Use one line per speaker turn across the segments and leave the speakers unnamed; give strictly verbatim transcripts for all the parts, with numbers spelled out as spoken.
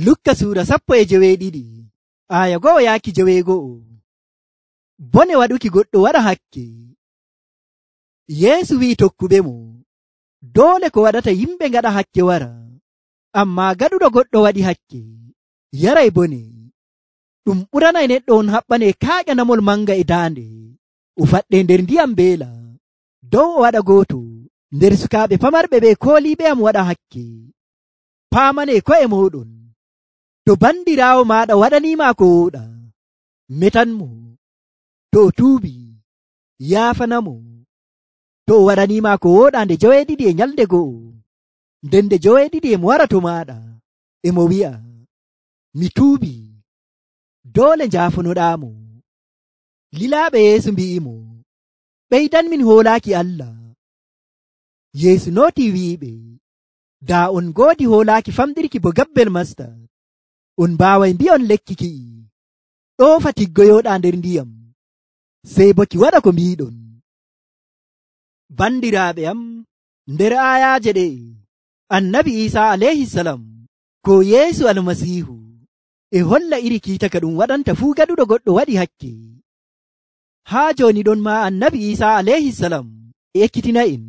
Lukka suura sappo e joweeɗiɗi aya go'o yaaki joweego'o. Bone waɗuki goɗɗo waɗa hakke. Yeesu wi'i tokkuɓemo, doole ko waɗata yimɓe ngaɗa hakke wara, ammaa gaɗuɗo goɗɗo waɗi hakke yaray bone. Ɗum ɓuranay neɗɗo on haɓɓane kaaƴanamol manga e daande, o faɗɗe nder ndiyam mbeela, dow o waɗa gooto nder sukaaɓe pamarɓe ɓe kooliiɓe am waɗa hakke. Paamane ko'e mooɗon, to bandiraawo maaɗa waɗaniima ko wooɗa, metanmo. To o tuubi, yaafanamo. To o waɗaniima ko wooɗa nde joweeɗiɗi e nyalde go'o, nden nde joweeɗiɗi emo wara to maaɗa, emo wi'a, mi tuubi, doole njaafonoɗaamo. Lilaaɓe Yeesu mbi'imo, ɓeydanmin hoolaaki Allah. Yeesu nootii wi'iɓe, daa on ngoodi hoolaaki famɗirki bo gabbel mastad, on mbaaway mbi'on lekki ki'i, ɗoofa tiggoyooɗaa nder ndiyam, sey bo ki waɗa ko mbiiɗon. Bandiraaɓe am, nder aayaaje ɗe, annabi Iisaa alayhisalam ko Yeesu almasiihu e holla iri kiita ka ɗum waɗanta fuu gaɗuɗo goɗɗo waɗi hakke. Haa jooni ɗon maa annabi Iisaa alayhisalam ekkitina'en,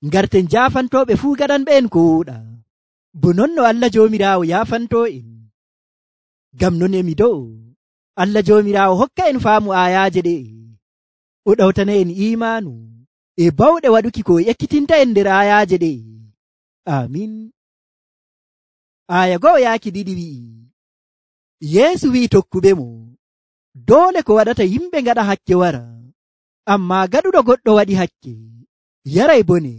ngarten jaafantooɓe fuu gaɗanɓe'en ko wooɗa, bo non no Allah Joomiraawo yaafantoo'en. Ngam non emi do'o Allah Joomiraawo hokka en faamu aayaaje ɗe, o ɗawtana en iimaanu e bawɗe waɗuki ko ekkitinta en nder aayaaje ɗe. Amin. Aya go'o yaaki ɗiɗi wi'i, Yeesu wi'i tokkuɓemo, doole ko waɗata yimɓe ngaɗa hakke wara, ammaa gaɗuɗo goɗɗo waɗi hakke yaray bone.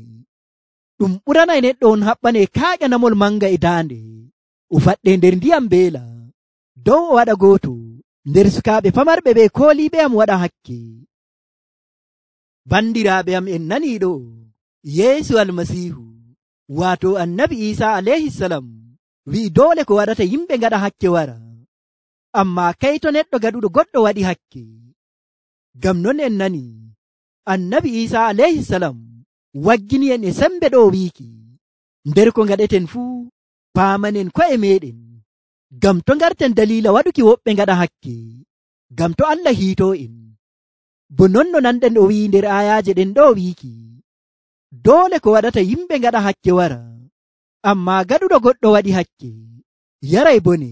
Ɗum ɓuranay neɗɗo on haɓɓane kaaƴanamol manga e daande, o faɗɗe nder ndiyam mbeela, dow o waɗa gooto nder sukaaɓe pamarɓe ɓe kooliiɓe am waɗa hakke. Bandiraaɓe am, en nanii ɗo, Yeesu almasiihu waato annabi Iisaa alayhisalam wi'i doole ko waɗata yimɓe ngaɗa hakke wara, ammaa kayto neɗɗo gaɗuɗo goɗɗo waɗi hakke. Ngam non en nanii annabi Iisaa alayhisalam waggini en e sembe ɗo wiiki, nder ko ngaɗeten fuu paamanen ko'e meɗen, ngam to ngarten daliila waɗuki woɓɓe ngaɗa hakke, ngam to Allah hiitoo en. Bo non no nanɗen o wi'i nder aayaaje ɗen ɗo wiiki, doole ko waɗata yimɓe ngaɗa hakke wara, ammaa gaɗuɗo goɗɗo waɗi hakke yaray bone.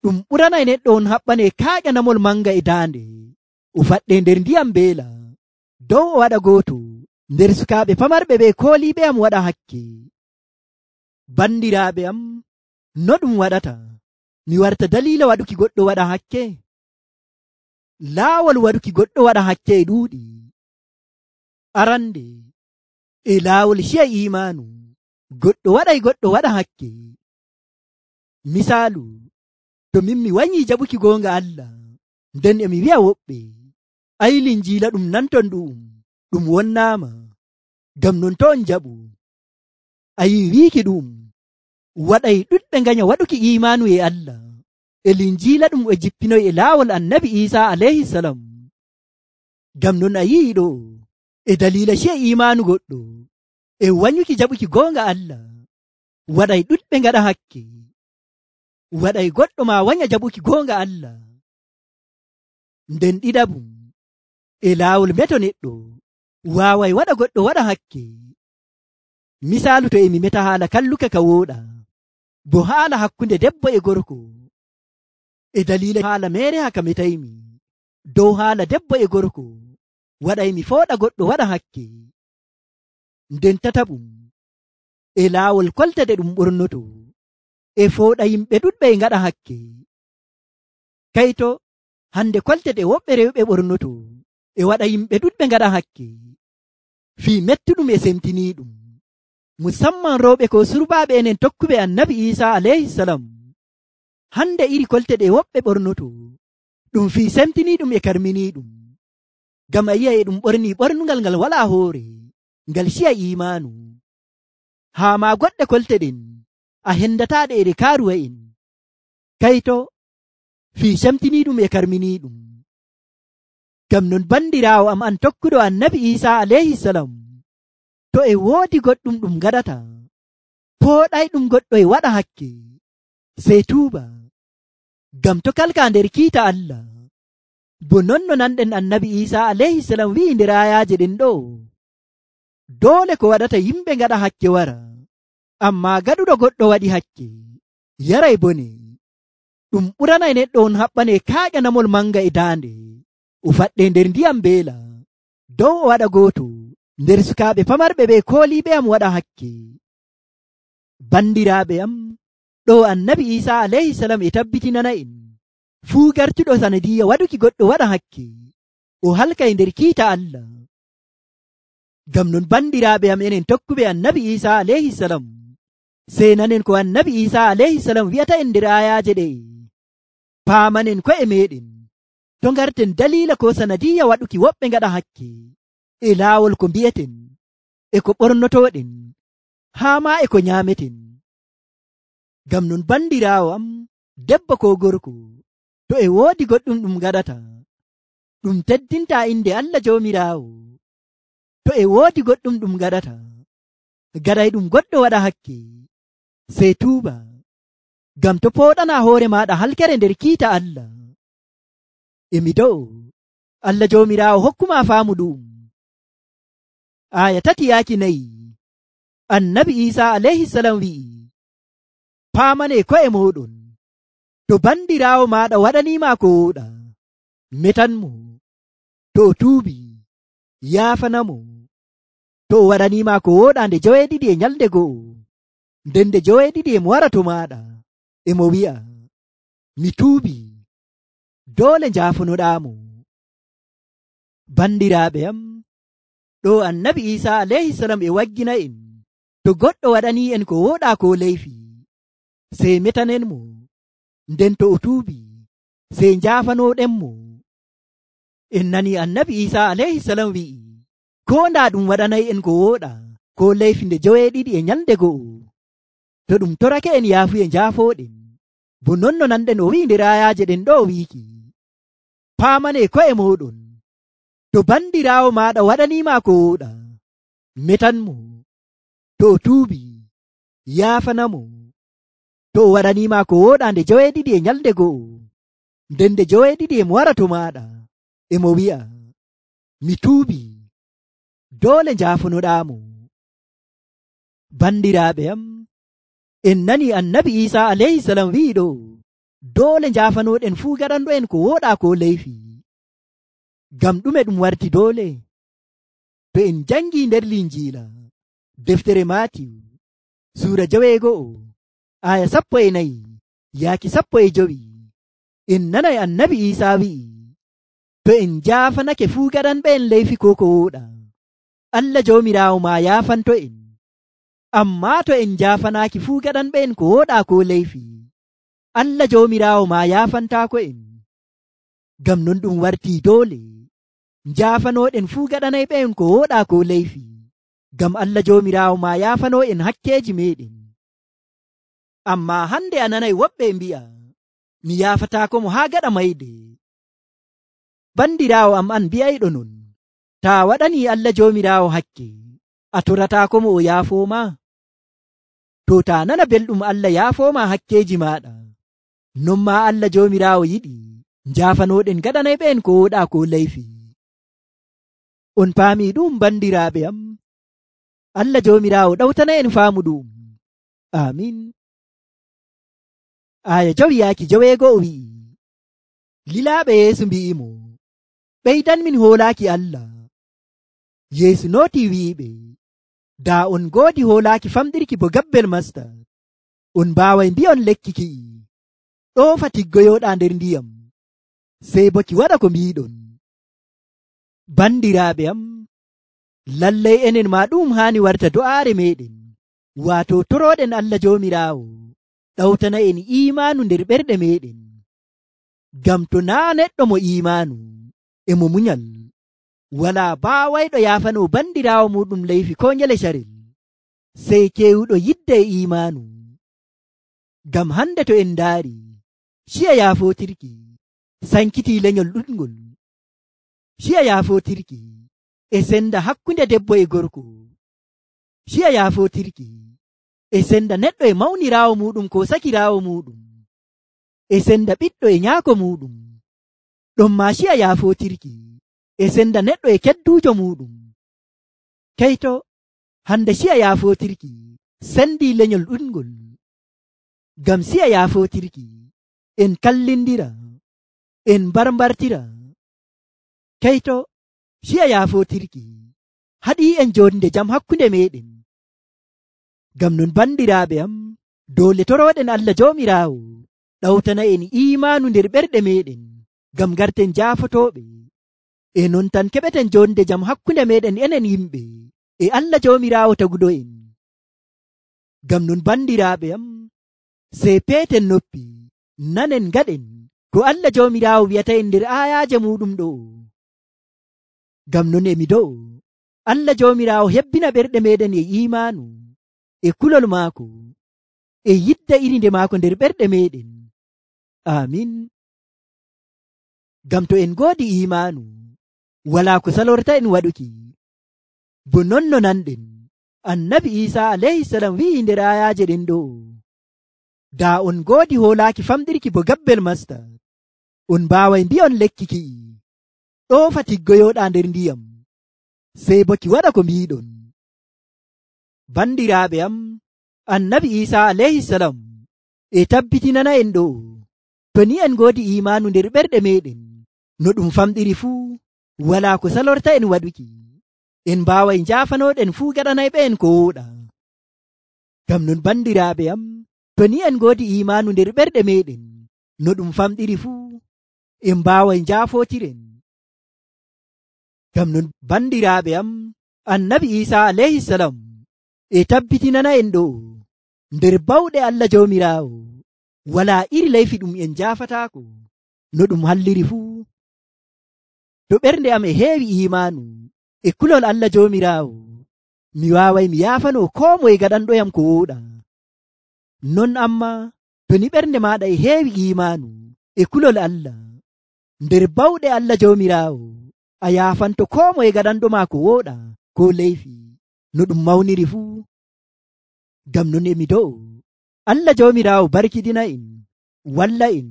Ɗum ɓuranay neɗɗo on haɓɓane kaaƴanamol manga e daande, o faɗɗe nder ndiyam mbeela, dow o waɗa gooto nder sukaaɓe pamarɓe ɓe kooliiɓe am waɗa hakke. Bandiraaɓe am, no ɗum waɗata mi warta daliila waɗuki goɗɗo waɗa hakke? Laawol waɗuki goɗɗo waɗa hakke e ɗuuɗi. Arande, e laawol ciya iimaanu, goɗɗo waɗay goɗɗo waɗa hakke. Misaalu, to min mi wanyii jaɓuki goonga Allah, nden emi wi'a woɓɓe, ay linjiila ɗum nanton ɗu'um, ɗum wonnaama. Ngam non to on jaɓu, ayi wiiki ɗum waɗay ɗuɗɓe nganya waɗuki iimaanu e Allah. E linjiila ɗum e jippinoy e laawol annabi Iisaa alayhisalam. Ngam non a yi'i ɗo, e daliila ciya iimaanu goɗɗo e wanyuki jaɓuki goonga Allah, waɗay ɗuɗɓe ngaɗa hakke, waɗay goɗɗo ma wanya jaɓuki goonga Allah. Nden ɗiɗabum, e laawol meto neɗɗo waaway waɗa goɗɗo waɗa hakke. Misaalu, to emi meta haala kalluka ka wooɗa, bo haala hakkunde debbo e gorko, e daliila haala meere haka metaymi dow haala debbo e gorko, waɗay mi fooɗa goɗɗo waɗa hakke. Nden tataɓum, e laawol koltade ɗum ɓornoto, e fooɗa yimɓe ɗuɗɓe e ngaɗa hakke. Kayto hande koltede woɓɓe rewɓe ɓornoto e waɗa yimɓe ɗuɗɓe ngaɗa hakke, fii mettuɗum e semtiniiɗum, musamman rewɓe ko surbaaɓe enen tokkuɓe annabi Iisaa alayhisalam. Hande iri kolte ɗe woɓɓe ɓornoto ɗum fii semtiniiɗum e karminiiɗum, ngam a yi'a e ɗum ɓornii ɓornungal ngal walaa hoore, ngal ciya iimaanu. Haa ma goɗɗe kolte ɗen a hendataaɗe e ɗe kaaruwa en, kayto fii semtiniiɗum e karminiiɗum. Ngam non bandiraawo am an tokkuɗo annabi Iisaa alayhisalam, to e woodi goɗɗum ɗum gaɗata, pooɗay ɗum goɗɗo e waɗa hakke, sey tuuba ngam to kalka nder kiita Allah. Bo non no nanɗen annabi Isa alayhisalam wi'i nder ayaaje ɗen ɗo, doole ko waɗata yimɓe ngaɗa hakke wara, amma gaɗuɗo goɗɗo waɗi hakke yaray bone. Ɗum ɓuranay neɗɗo on haɓɓane kaaƴanamol manga e daande, o faɗɗe nder ndiyam beela, dow o waɗa gooto nder sukaaɓe pamarɓe ɓe kooliiɓe am waɗa hakke. Bandiraaɓe am, ɗo annabi Isa alayhisalam e tabbitinana en fuu gartuɗo sanadiya waɗuki goɗɗo waɗa hakke, o halkay nder kiita Allah. Ngam non bandiraaɓe am, enen tokkuɓe annabi Isa alayhisalam, sey nanen ko annabi Isa alayhisalam wi'ata en nder ayaaje ɗe. Paamanen ko'e meɗen to ngarten daliila ko sanadiya waɗuki woɓɓe ngaɗa hakke e laawol ko mbi'eten, e ko ɓornotoɗen, haa ma e ko nyaameten. Ngam non bandiraawo am, debbo ko gorko, to e woodi goɗɗum ɗum gaɗata ɗum teddinta inde Allah Joomiraawo, to e woodi goɗɗum ɗum gaɗata gaɗay ɗum goɗɗo waɗa hakke, sey tuuba, ngam to pooɗana hoore maaɗa halkere nder kiita Allah. Emi do'o Allah Joomiraawo hokkuma faamu ɗum. Aya tati yaaki nayi, annabi Isa alayhisalam wi'i, paamane ko'e mooɗon, to bandiraawo maaɗa waɗaniima ko wooɗa, metanmo. To o tuubi, yaafanamo. To o waɗaniima ko wooɗa nde joweeɗiɗi e nyalde go'o, nden nde joweeɗiɗi emo wara to maaɗa, emo wi'a, mi tuubi, doole njaafonoɗaamo. Bandiraaɓe am, ɗo annabi Isa alayhisalam e waggina en, to goɗɗo waɗanii en ko wooɗa ko leyfi, sey metanenmo, nden to o tuubi, sey njaafanoɗenmo. En nani annabi Isa alayhisalam wi'i, ko ndaa ɗum waɗanay en ko wooɗa ko leyfi nde joweeɗiɗi e nyalde go'o, to ɗum torake en yaafu e njaafoɗen, bo non no nanɗen o wi'i nder ayaaje ɗen ɗo wiiki, paamane ko'e mooɗon, to bandiraawo maaɗa waɗaniima ko wooɗa, metanmo. To o tuubi, yaafanamo. To o waɗaniima ko wooɗa nde joweeɗiɗi e nyalde go'o, nden nde joweeɗiɗi emo wara to maaɗa, emo wi'a, mi tuubi, doole njaafonoɗaamo. Bandiraaɓe am, en nani annabi Isa alayhisalam wi'i ɗo, doole njaafanoɗen fuu gaɗanɗo'en ko wooɗa ko leyfi. Ngam ɗume ɗum warti doole? To en jangi nder linjiila deftere Maatiyu suura joweego'o aya sappo e nayi yaaki sappo e jowi, en nanay annabi Isa wi'i, to en njaafanake fuu gaɗanɓe en leyfi ko ko wooɗa, Allah Joomiraawo ma yaafanto en. Amma to en njaafanaaki fuu gaɗanɓe en ko wooɗa ko leyfi, Allah Joomiraawo ma yaafantaako en. Ngam non ɗum wartii doole njaafanoɗen fuu gaɗanayɓe en ko wooɗa ko leyfi, ngam Allah Joomiraawo ma yaafano en hakkeeji meɗen. Amma hande a nanay woɓɓe mbi'a, mi yaafataako mo haa gaɗa mayde. Bandiraawo am an mbi'ayɗo non, taa waɗanii Allah Joomiraawo hakke, a torataako mo o yaafooma? To taa nana belɗum Allah yaafooma hakkeeji maaɗa, non ma Allah Joomiraawo yiɗi njaafanoɗen gaɗanayɓe en ko wooɗa ko leyfi. On paami ɗum bandiraaɓe am? Allah Joomiraawo ɗawtana en faamu ɗum. Amin. Aya jowi yaaki joweego'o wi'i, lilaaɓe Yeesu mbi'imo, ɓeydanmin hoolaaki Allah. Yeesu nootii wi'iɓe, daa on ngoodi hoolaaki famɗirki bo gabbel masta, on mbaaway mbi'on lekki ki'i, ɗoofa tiggoyooɗaa nder ndiyam, sey bo ki waɗa ko mbiiɗon. Bandiraaɓe am, lallay enen ma ɗum haani warta do'aare meɗen, waato torooɗen Allah Joomiraawo ɗawtana en iimaanu nder ɓerɗe meɗen. Ngam to naa neɗɗo mo iimaanu e mo munyal, walaa baawayɗo yaafano bandiraawo muɗum leyfi ko nyele carel, sey keewuɗo yidde e iimaanu. Ngam hande to en ndaari, ciya yaafotirki sankitii lenyol ɗuɗngol, ciya yaafotirki e senda hakkunde debbo e gorko, ciya yaafotirki e senda neɗɗo e mawniraawo muɗum ko sakiraawo muɗum. e senda ɓiɗɗo e nyaako muɗum, ɗon ma ciya yaafotirki e senda neɗɗo e kedduujo muɗum. Keyto hande ciya yaafotirki sendi lenyol ɗuɗngol, ngam ciya yaafotirki en kallindira, en mbarmbartira. Keyto ciya yaafotirki haɗi en jonde jam hakkunde meɗen. Ngam non bandiraaɓe am, doole toroɗen Allah Joomiraawo ɗawtana en imaanu nder ɓerɗe meɗen, ngam garten jaafotoɓe. E non tan keɓeten jonde jam hakkunde meɗen enen yimɓe e Allah Joomiraawo taguɗo en. Ngam non bandiraaɓe am, sey peeten noppi nanen ngaɗen ko Allah Joomiraawo wi'ata en nder ayaaje muɗum ɗo. Ngam non emi do'o Allah Joomiraawo hebbina ɓerɗe meɗen e imaanu e kulol maako e yidda irinde maako nder ɓerɗe meɗen. Amin. Ngam to en ngoodi imaanu, walaa ko salorta en waɗuki. Bo non no nanɗen annabi Iisa alayhi salam wi'i nder ayaaje ɗen ɗo, daa on ngoodi hoolaaki famɗirki bo gabbel masta, on mbaaway mbi'on lekki ki'i, ɗoofa tiggoyoɗaa nder ndiyam, sey bo ki waɗa ko mbiɗon. Bandiraaɓe am, annabi Iisa alayhi salam e tabbitinana en ɗo, to ni en ngoodi imaanu nder ɓerɗe meɗen, no ɗum famɗiri fuu, walaa ko salorta en waɗuki. En mbaaway njaafanoɗen fuu gaɗanayɓe en ko wooɗa. Ngam non bandiraaɓe am, to ni en ngoodi imaanu nder ɓerɗe meɗen, no ɗum famɗiri fuu, en mbaaway njaafotiren. Ngam non bandiraaɓe am, annabi Iisa alayhi salam e tabbitinana en ɗo, nder bawɗe Allah Joomiraawo walaa iri layfi ɗum en jaafataako, no ɗum halliri fuu. To ɓernde am e heewi imaanu e kulol Allah Joomiraawo, mi waaway mi yaafano koo moye gaɗanɗoyam ko wooɗa. Non amma to ni ɓernde maaɗa e heewi imaanu e kulol Allah, nder bawɗe Allah Joomiraawo a yaafanto koo moye gaɗanɗoma ko wooɗa ko leyfi, no ɗum mawniri fuu. Ngam non emi do'o Allah Joomiraawo barkidina en, walla en,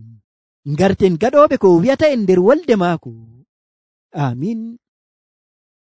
ngarten gaɗooɓe ko wi'ata en nder wolde maako. Amin.